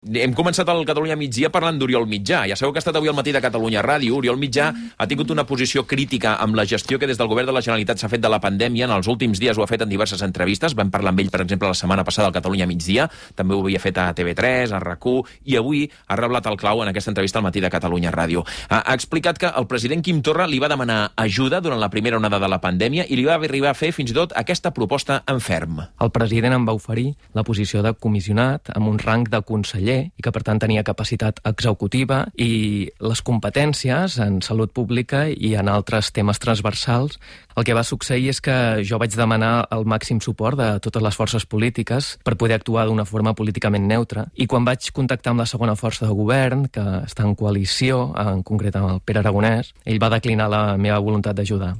Hem començat el Catalunya Migdia parlant d'Oriol Mitjà. Ja sabeu que ha estat avui al matí de Catalunya Ràdio. Oriol Mitjà ha tingut una posició crítica amb la gestió que des del govern de la Generalitat s'ha fet de la pandèmia. En els últims dies ho ha fet en diverses entrevistes. Vam parlar amb ell, per exemple, la setmana passada al Catalunya Migdia. També ho havia fet a TV3, a RAC1, i avui ha reblat el clau en aquesta entrevista al matí de Catalunya Ràdio. Ha explicat que el president Quim Torra li va demanar ajuda durant la primera onada de la pandèmia i li va arribar a fer fins i tot aquesta proposta en ferm. El president em va oferir la posició de comissionat amb un rang de conseller i que, per tant, tenia capacitat executiva i les competències en salut pública i en altres temes transversals. El que va succeir és que jo vaig demanar el màxim suport de totes les forces polítiques per poder actuar d'una forma políticament neutra. I quan vaig contactar amb la segona força de govern, que està en coalició, en concret amb el Pere Aragonès, ell va declinar la meva voluntat d'ajudar.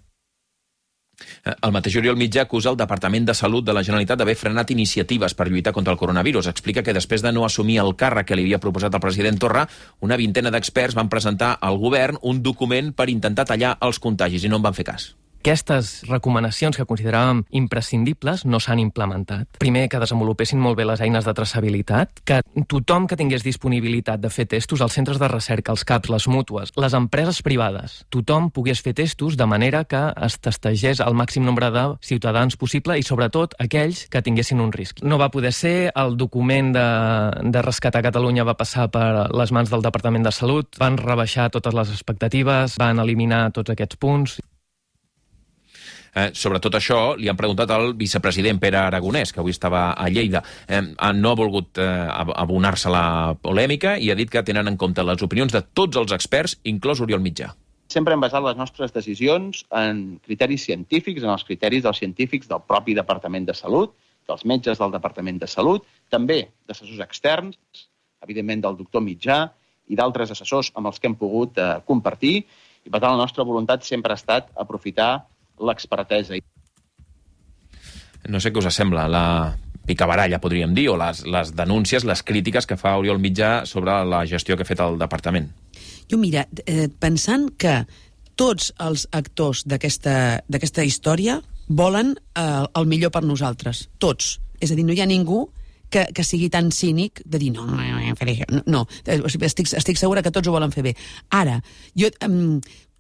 El mateix Oriol Mitjà acusa el Departament de Salut de la Generalitat d'haver frenat iniciatives per lluitar contra el coronavirus. Explica que després de no assumir el càrrec que li havia proposat el president Torra, una vintena d'experts van presentar al govern un document per intentar tallar els contagis i no en van fer cas. Aquestes recomanacions que consideràvem imprescindibles no s'han implementat. Primer, que desenvolupessin molt bé les eines de traçabilitat, que tothom que tingués disponibilitat de fer testos, els centres de recerca, els CAPs, les mútues, les empreses privades, tothom pogués fer testos de manera que es testegés el màxim nombre de ciutadans possible i, sobretot, aquells que tinguessin un risc. No va poder ser, el document de rescatar Catalunya va passar per les mans del Departament de Salut, van rebaixar totes les expectatives, van eliminar tots aquests punts. Sobre tot això li han preguntat al vicepresident Pere Aragonès, que avui estava a Lleida. No ha volgut abonar-se a la polèmica i ha dit que tenen en compte les opinions de tots els experts, inclòs Oriol Mitjà. Sempre hem basat les nostres decisions en criteris científics, en els criteris dels científics del propi Departament de Salut, dels metges del Departament de Salut, també d'assessors externs, evidentment del doctor Mitjà i d'altres assessors amb els que hem pogut compartir. I per tant la nostra voluntat sempre ha estat aprofitar l'expertesa. No sé què us sembla la picabaralla, podríem dir, o les denúncies, les crítiques que fa Oriol Mitjà sobre la gestió que ha fet el departament. Jo, mira, pensant que tots els actors d'aquesta història volen el millor per nosaltres, tots. És a dir, no hi ha ningú que sigui tan cínic de dir no, estic segura que tots ho volen fer bé. Ara, jo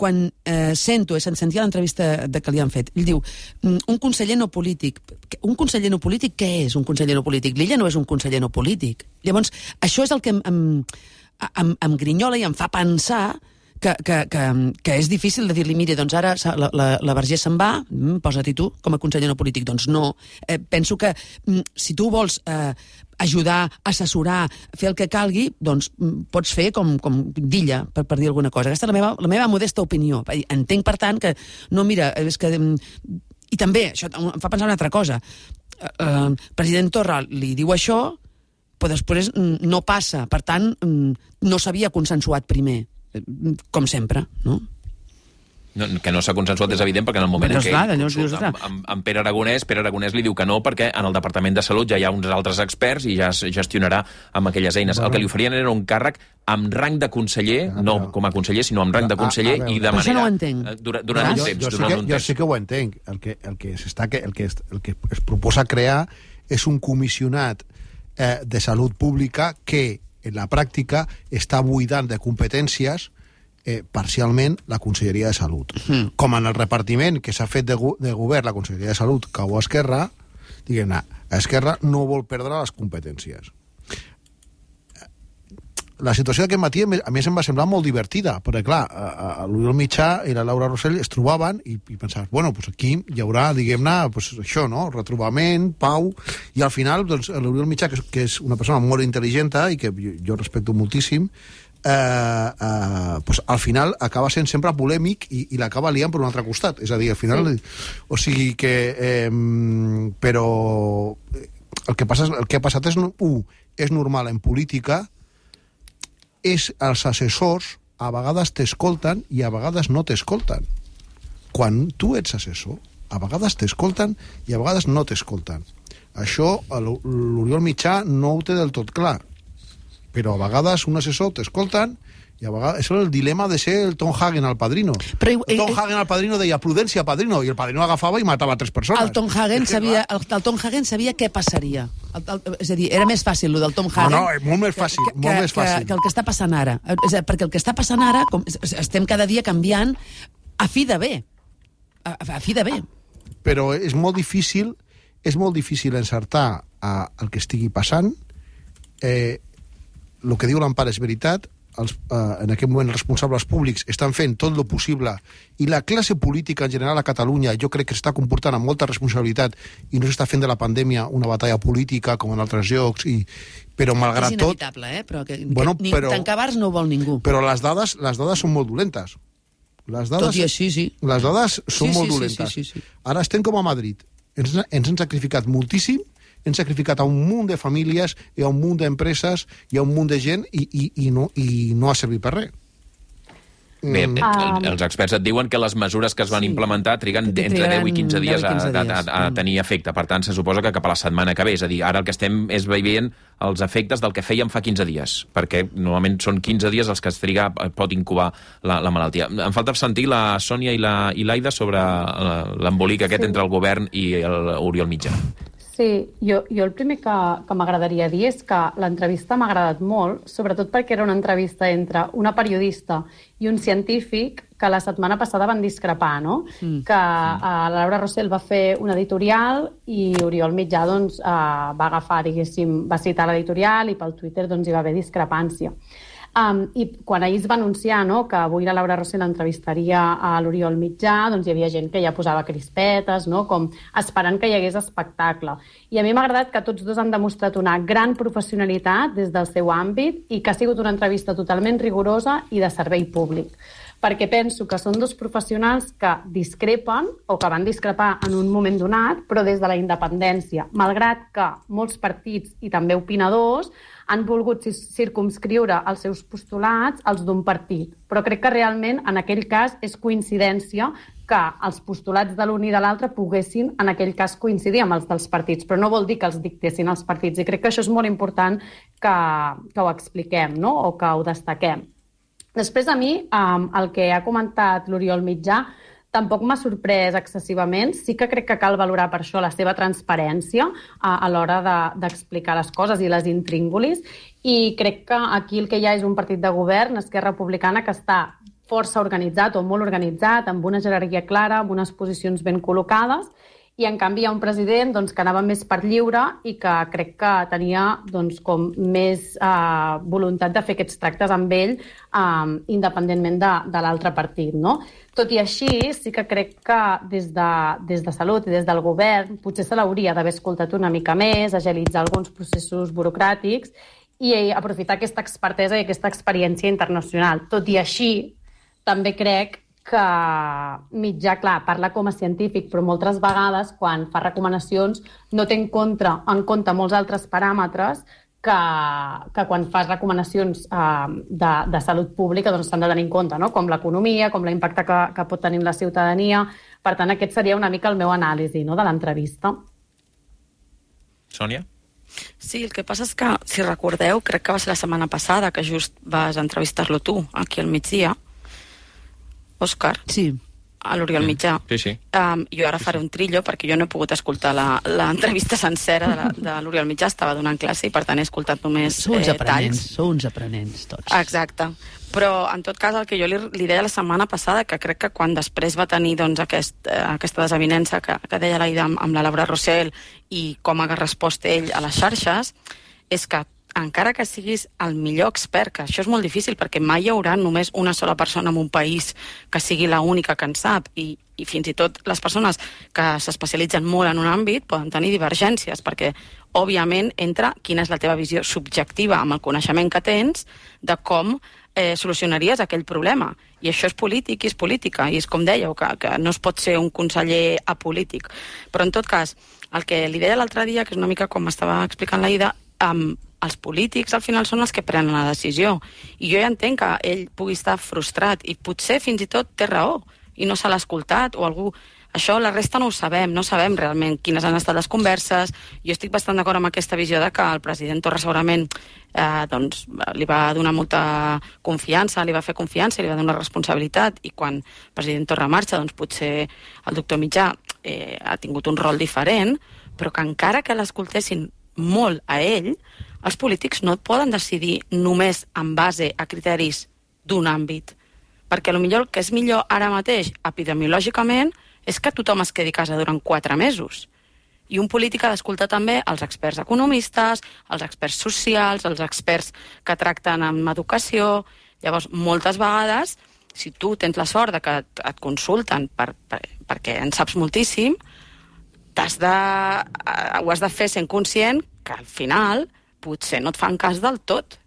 quan sentia l'entrevista que li han fet, ell diu, un conseller no polític. Un conseller no polític, què és un conseller no polític? L'Illa no és un conseller no polític. Llavors, això és el que em grinyola i em fa pensar que és difícil de dir-li, mire, doncs ara la Vergés se'n va, posa-t'hi tu com a conseller no polític. Doncs no. Penso que si tu vols ajudar, assessorar, fer el que calgui, doncs pots fer com d'Illa, per dir alguna cosa. Aquesta és la meva modesta opinió. Entenc, per tant, que no, mira, és que... I també, això em fa pensar una altra cosa. El president Torra li diu això, però després no passa. Per tant, no s'havia consensuat primer. Com sempre, no? Que no s'ha consensuat és evident, perquè en el moment en què amb Pere Aragonès li diu que no, perquè en el Departament de Salut ja hi ha uns altres experts i ja es gestionarà amb aquelles eines. El que li oferien era un càrrec amb rang de conseller, no com a conseller, sinó amb rang de conseller, i de manera... Això no ho entenc. Durant un temps. Jo sí que ho entenc. El que es proposa crear és un comissionat de salut pública que en la pràctica està buidant de competències parcialment la Conselleria de Salut. Com en el repartiment que s'ha fet de govern la Conselleria de Salut cau a Esquerra, diguem-ne, Esquerra no vol perdre les competències. La situació d'aquest matí, a més, em va semblar molt divertida, perquè, clar, l'Oriol Mitjà i la Laura Rosell es trobaven i pensaves, bueno, doncs aquí hi haurà, diguem-ne, això, no?, retrobament, pau, i al final, doncs, l'Oriol Mitjà, que és una persona molt intel·ligent i que jo respecto moltíssim, al final acaba sent sempre polèmic i l'acaba liant per un altre costat. És a dir, al final... O sigui que... Però el que ha passat és, és normal en política, els assessors a vegades t'escolten i a vegades no t'escolten. Quan tu ets assessor, a vegades t'escolten i a vegades no t'escolten. Això l'Oriol Mitjà no ho té del tot clar. però a vegades un assessor t'escolten i a vegades és el dilema de ser el Tom Hagen al Padrino. Però, el Tom Hagen al Padrino deia prudència, Padrino, i el Padrino agafava i matava 3 persones. El Tom Hagen sabia què passaria. És a dir, era més fàcil, el del Tom Hagen. No, molt més fàcil, que el que està passant ara. Perquè el que està passant ara, estem cada dia canviant a fi de bé. A fi de bé. Però és molt difícil encertar el que estigui passant. El que diu l'Empar és veritat. En aquest moment els responsables públics estan fent tot el possible i la classe política en general a Catalunya jo crec que s'està comportant amb molta responsabilitat i no s'està fent de la pandèmia una batalla política com en altres llocs, però malgrat tot... És inevitable, però tancar bars no ho vol ningú. Però les dades són molt dolentes. Tot i així, sí. Les dades són molt dolentes. Sí. Ara estem com a Madrid. Ens han sacrificat moltíssim, hem sacrificat a un munt de famílies i a un munt d'empreses i a un munt de gent i no ha servit per res. Bé, els experts et diuen que les mesures que es van implementar triguen entre 10 i 15 dies a tenir efecte. Per tant, se suposa que cap a la setmana que ve. És a dir, ara el que estem és veient els efectes del que fèiem fa 15 dies, perquè normalment són 15 dies els que es triga, pot incubar la malaltia. Em falta sentir la Sònia i l'Aida sobre l'embolic aquest entre el govern i l'Oriol Mitjà. Sí, jo el primer que m'agradaria dir és que l'entrevista m'ha agradat molt, sobretot perquè era una entrevista entre una periodista i un científic que la setmana passada van discrepar, no? Que la Laura Rossell va fer un editorial i Oriol Mitjà va agafar, diguéssim, va citar l'editorial i pel Twitter hi va haver discrepància. I quan ahir es va anunciar que avui la Laura Rossell entrevistaria a l'Oriol Mitjà, hi havia gent que ja posava crispetes, com esperant que hi hagués espectacle. I a mi m'ha agradat que tots dos han demostrat una gran professionalitat des del seu àmbit i que ha sigut una entrevista totalment rigorosa i de servei públic. Perquè penso que són dos professionals que discrepen o que van discrepar en un moment donat, però des de la independència, malgrat que molts partits i també opinadors han volgut circumscriure els seus postulats als d'un partit. Però crec que realment en aquell cas és coincidència que els postulats de l'un i de l'altre poguessin en aquell cas coincidir amb els dels partits, però no vol dir que els dictessin els partits. I crec que això és molt important que ho expliquem, o que ho destaquem. Després, a mi, el que ha comentat l'Oriol Mitjà tampoc m'ha sorprès excessivament. Sí que crec que cal valorar per això la seva transparència a l'hora d'explicar les coses i les intríngulis. I crec que aquí el que hi ha és un partit de govern, Esquerra Republicana, que està força organitzat o molt organitzat, amb una jerarquia clara, amb unes posicions ben col·locades, i en canvi hi ha un president que anava més per lliure i que crec que tenia com més voluntat de fer aquests tractes amb ell independentment de l'altre partit. Tot i així, sí que crec que des de Salut i des del govern potser se l'hauria d'haver escoltat una mica més, agilitzar alguns processos burocràtics i aprofitar aquesta expertesa i aquesta experiència internacional. Tot i així, també crec que Mitjà, clar, parla com a científic, però moltes vegades, quan fa recomanacions, no té en compte molts altres paràmetres que quan fas recomanacions de salut pública s'han de tenir en compte, com l'economia, com l'impacte que pot tenir la ciutadania. Per tant, aquest seria una mica el meu anàlisi de l'entrevista. Sònia? Sí, el que passa és que, si recordeu, crec que va ser la setmana passada que just vas entrevistar-lo tu, aquí al migdia, Òscar? Sí. A l'Oriol Mitjà. Sí. Jo ara faré un trillo perquè jo no he pogut escoltar l'entrevista sencera de l'Oriol Mitjà, estava donant classe i per tant he escoltat només talls. Sou uns aprenents tots. Exacte. Però en tot cas el que jo li deia la setmana passada, que crec que quan després va tenir aquesta desavinença que deia l'Aida amb la Laura Rossell i com ha respost ell a les xarxes, és que encara que siguis el millor expert, que això és molt difícil perquè mai hi haurà només una sola persona en un país que sigui l'única que en sap i fins i tot les persones que s'especialitzen molt en un àmbit poden tenir divergències perquè, òbviament, entra quina és la teva visió subjectiva amb el coneixement que tens de com solucionaries aquell problema. I això és polític i és política. I és com dèieu, que no es pot ser un conseller apolític. Però, en tot cas, el que li deia l'altre dia, que és una mica com m'estava explicant l'Aida, els polítics al final són els que prenen la decisió. I jo ja entenc que ell pugui estar frustrat i potser fins i tot té raó i no se l'ha escoltat o algú Això, la resta no ho sabem, no sabem realment quines han estat les converses. Jo estic bastant d'acord amb aquesta visió de que el president Torra segurament li va donar molta confiança, li va fer confiança, li va donar responsabilitat, i quan el president Torra marxa, doncs potser el doctor Mitjà ha tingut un rol diferent, però que encara que l'escoltessin molt a ell, els polítics no poden decidir només en base a criteris d'un àmbit. Perquè potser el que és millor ara mateix, epidemiològicament, és que tothom es quedi a casa durant 4 mesos. I un polític ha d'escoltar també els experts economistes, els experts socials, els experts que tracten amb educació. Llavors, moltes vegades, si tu tens la sort de que et consulten perquè en saps moltíssim, ho has de fer sent conscient que al final potser no et fan cas del tot.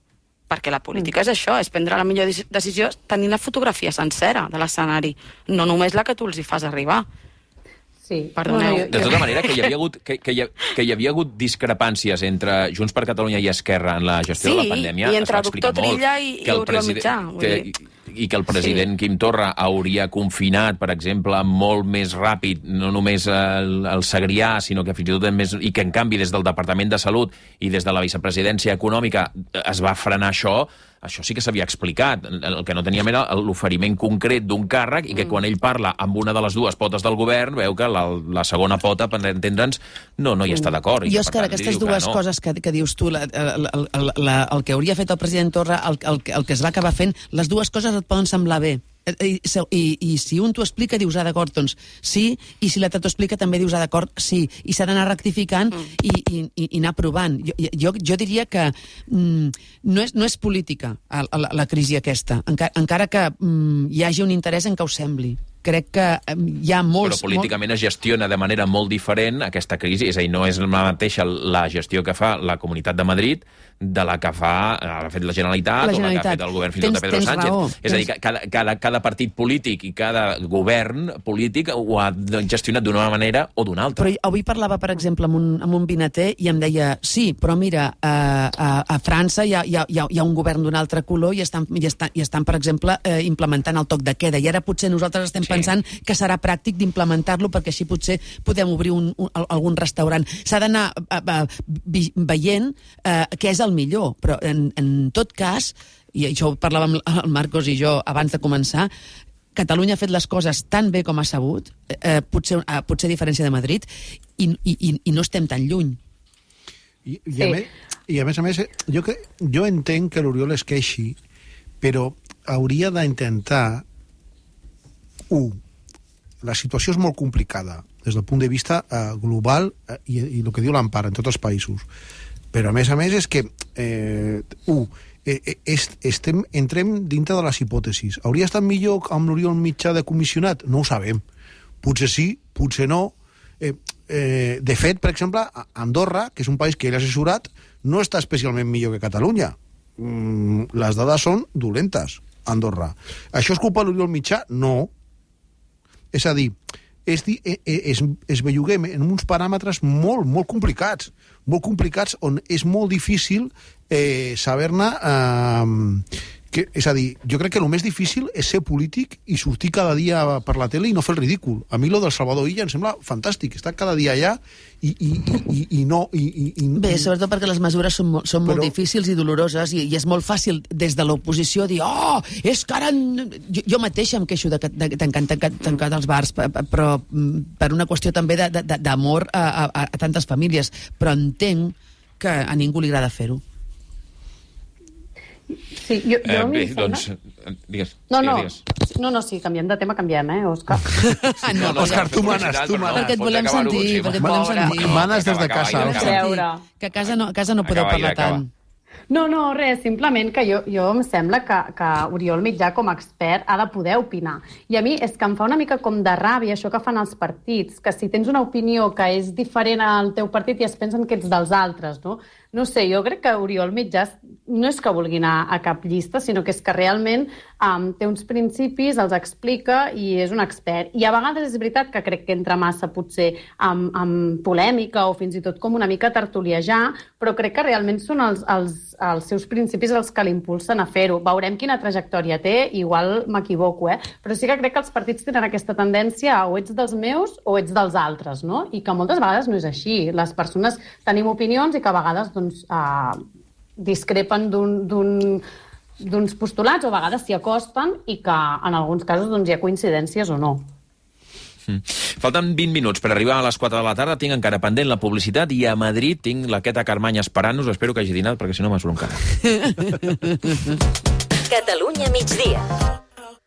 Perquè la política és això, és prendre la millor decisió tenint la fotografia sencera de l'escenari, no només la que tu els hi fas arribar. Sí. Perdoneu. De tota manera, que hi havia hagut discrepàncies entre Junts per Catalunya i Esquerra en la gestió de la pandèmia. Sí, i entre el doctor Trilla i Oriol Mitjà. I que el president Quim Torra hauria confinat, per exemple, molt més ràpid, no només el Segrià, sinó que fins i tot i que, en canvi, des del Departament de Salut i des de la vicepresidència econòmica es va frenar això sí que s'havia explicat. El que no teníem era l'oferiment concret d'un càrrec i que quan ell parla amb una de les dues potes del govern veu que la segona pota, per entendre'ns, no hi està d'acord. Jo, Òscar, aquestes dues coses que dius tu, el que hauria fet el president Torra, el que es va acabar fent, les dues coses et poden semblar bé. I si un t'ho explica dius d'acord, doncs sí, i si l'altre t'ho explica també dius d'acord, sí, i s'ha d'anar rectificant i anar provant. Jo diria que no és política la crisi aquesta, encara que hi hagi un interès en que ho sembli. Crec que hi ha molts... Però políticament es gestiona de manera molt diferent aquesta crisi, és a dir, no és la mateixa la gestió que fa la Comunitat de Madrid de la que ha fet la Generalitat o la que ha fet el govern fins i tot de Pedro Sánchez. És a dir, cada partit polític i cada govern polític ho ha gestionat d'una manera o d'una altra. Però avui parlava, per exemple, amb un vinater i em deia, sí, però mira, a França hi ha un govern d'un altre color i estan, per exemple, implementant el toc de queda, i ara potser nosaltres estem pensant que serà pràctic d'implementar-lo perquè així potser podem obrir algun restaurant. S'ha d'anar veient què és el millor, però en tot cas, i això ho parlàvem el Marcos i jo abans de començar, Catalunya ha fet les coses tan bé com ha sabut, potser a diferència de Madrid, i no estem tan lluny. I a més, jo entenc que l'Oriol es queixi, però hauria d'intentar la situació és molt complicada des del punt de vista global i el que diu l'Empara en tots els països, però a més és que entrem dintre de les hipòtesis. Hauria estat millor amb l'Oriol Mitjà de comissionat? No ho sabem. Potser sí, potser no. De fet, per exemple, Andorra, que és un país que ell ha assessorat, no està especialment millor que Catalunya. Les dades són dolentes, Andorra. Això és culpa de l'Oriol Mitjà? No. És a dir, es belluguem en uns paràmetres molt, molt complicats on és molt difícil saber-ne... És a dir, jo crec que el més difícil és ser polític i sortir cada dia per la tele i no fer el ridícul. A mi lo del Salvador Illa em sembla fantàstic, estar cada dia allà i no... Bé, sobretot perquè les mesures són molt difícils i doloroses i és molt fàcil des de l'oposició dir és que ara... Jo mateixa em queixo de tancar els bars, però per una qüestió també d'amor a tantes famílies, però entenc que a ningú li agrada fer-ho. Sí, bé, doncs, digues. No, sí, canviem de tema, Òscar. No, Òscar, tu manes. Perquè et volem sentir, Manes des de casa. Que a casa no podeu parlar tant. No, res, simplement que jo em sembla que Oriol Mitjà com a expert ha de poder opinar. I a mi és que em fa una mica com de ràbia això que fan els partits, que si tens una opinió que és diferent al teu partit i es pensen que ets dels altres, no? No sé, jo crec que Oriol Mitjà no és que vulgui anar a cap llista, sinó que és que realment té uns principis, els explica i és un expert. I a vegades és veritat que crec que entra massa potser amb polèmica o fins i tot com una mica tertuliejar, però crec que realment són els els seus principis els que l'impulsen a fer-ho. Veurem quina trajectòria té, igual m'equivoco, però sí que crec que els partits tenen aquesta tendència a o ets dels meus o ets dels altres, no? I que moltes vegades no és així. Les persones tenim opinions i que a vegades discrepen d'uns postulats o a vegades s'hi acosten i que en alguns casos hi ha coincidències o no. Falten 20 minuts per arribar a les 4 de la tarda. Tinc encara pendent la publicitat i a Madrid tinc la Queta Carmany esperant-nos. Espero que hagi dinat perquè si no m'asuro encara. Catalunya migdia.